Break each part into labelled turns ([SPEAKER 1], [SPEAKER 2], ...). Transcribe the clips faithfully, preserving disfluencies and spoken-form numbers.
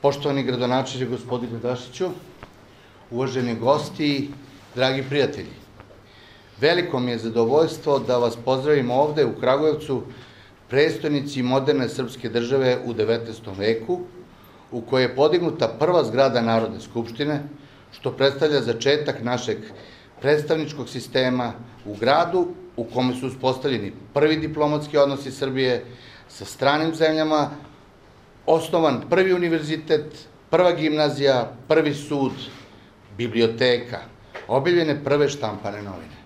[SPEAKER 1] Poštovani gradonačelniče gospodine Dašiću, uvaženi gosti, dragi prijatelji, veliko mi je zadovoljstvo da vas pozdravim ovde u Kragujevcu, prestonici moderne srpske države u devetnaestom veku, u kojoj je podignuta prva zgrada Narodne skupštine, što predstavlja začetak našeg predstavničkog sistema u gradu u kome su uspostavljeni prvi diplomatski odnosi Srbije sa stranim zemljama, osnovan prvi univerzitet, prva gimnazija, prvi sud, biblioteka, objavljene prve štampane novine.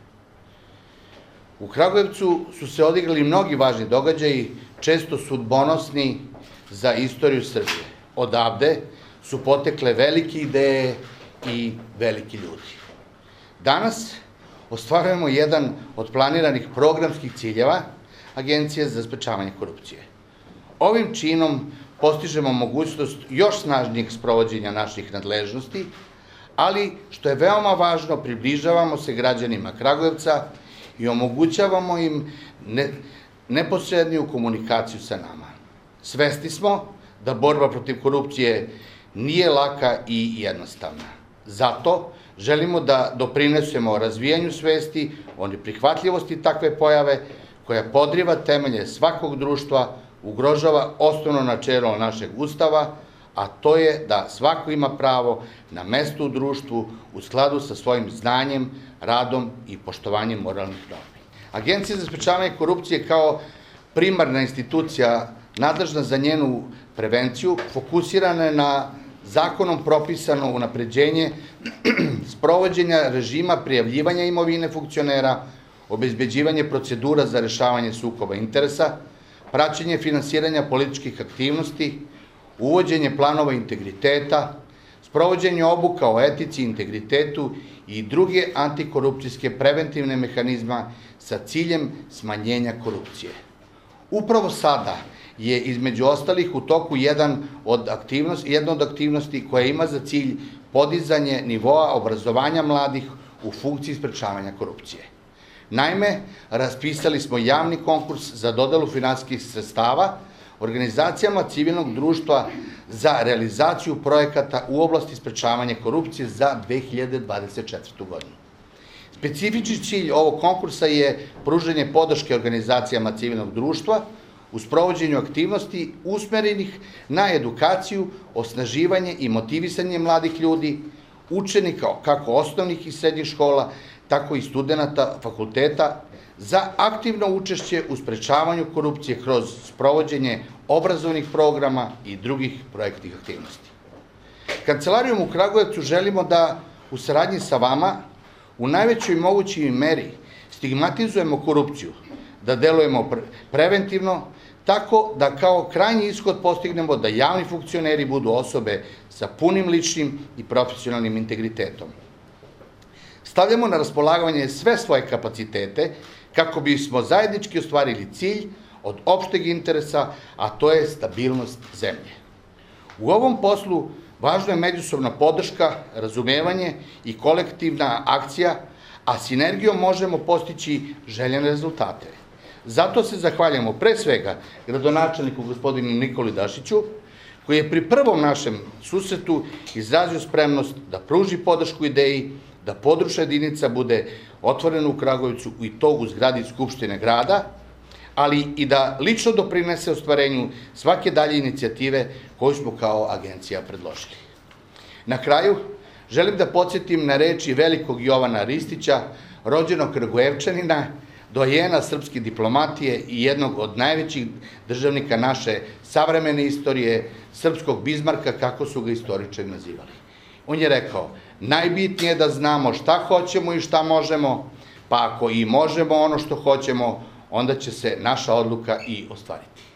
[SPEAKER 1] U Kragujevcu su se odigrali mnogi važni događaji, često sudbonosni za istoriju Srbije. Odavde su potekle velike ideje i veliki ljudi. Danas ostvarujemo jedan od planiranih programskih ciljeva Agencije za sprečavanje korupcije. Ovim činom postižemo mogućnost još snažnijeg sprovođenja naših nadležnosti, ali, što je veoma važno, približavamo se građanima Kragujevca i omogućavamo im neposredniju komunikaciju sa nama. Svesni smo da borba protiv korupcije nije laka i jednostavna. Zato želimo da doprinesemo razvijanju svesti o neprihvatljivosti takve pojave koja podriva temelje svakog društva, ugrožava osnovno načelo našeg Ustava, a to je da svako ima pravo na mesto u društvu u skladu sa svojim znanjem, radom i poštovanjem moralnih normi. Agencija za sprečavanje korupcije kao primarna institucija nadležna za njenu prevenciju fokusirana je na zakonom propisano unapređenje sprovođenja režima prijavljivanja imovine funkcionera, obezbeđivanje procedura za rešavanje sukoba interesa, praćenje finansiranja političkih aktivnosti, uvođenje planova integriteta, sprovođenje obuka o etici i integritetu i druge antikorupcijske preventivne mehanizma sa ciljem smanjenja korupcije. Upravo sada je između ostalih u toku jedan od aktivnosti, jedna od aktivnosti koja ima za cilj podizanje nivoa obrazovanja mladih u funkciji sprečavanja korupcije. Naime, raspisali smo javni konkurs za dodelu finansijskih sredstava organizacijama civilnog društva za realizaciju projekata u oblasti sprečavanja korupcije za dve hiljade dvadeset četvrtu. godinu. Specifični cilj ovog konkursa je pružanje podrške organizacijama civilnog društva u sprovođenju aktivnosti usmerenih na edukaciju, osnaživanje i motivisanje mladih ljudi, učenika kako osnovnih i srednjih škola, tako i studenta fakulteta, za aktivno učešće u sprečavanju korupcije kroz sprovođenje obrazovnih programa i drugih projektnih aktivnosti. Kancelarijom u Kragujevcu želimo da u saradnji sa vama u najvećoj mogućoj meri stigmatizujemo korupciju, da delujemo preventivno, tako da kao krajnji ishod postignemo da javni funkcioneri budu osobe sa punim ličnim i profesionalnim integritetom. Stavljamo na raspolaganje sve svoje kapacitete kako bismo zajednički ostvarili cilj od opšteg interesa, a to je stabilnost zemlje. U ovom poslu važna je međusobna podrška, razumevanje i kolektivna akcija, a sinergijom možemo postići željene rezultate. Zato se zahvaljamo pre svega gradonačelniku gospodinu Nikoli Dašiću, koji je pri prvom našem susretu izrazio spremnost da pruži podršku ideji da područna jedinica bude otvorena u Kragujevcu i to u zgradi Skupštine grada, ali i da lično doprinese ostvarenju svake dalje inicijative koju smo kao agencija predložili. Na kraju, želim da podsjetim na reči velikog Jovana Ristića, rođenog Kragujevčanina, dojena srpske diplomatije i jednog od najvećih državnika naše savremene istorije, srpskog Bizmarka, kako su ga istoričari nazivali. On je rekao, najbitnije je da znamo šta hoćemo i šta možemo, pa ako i možemo ono što hoćemo, onda će se naša odluka i ostvariti.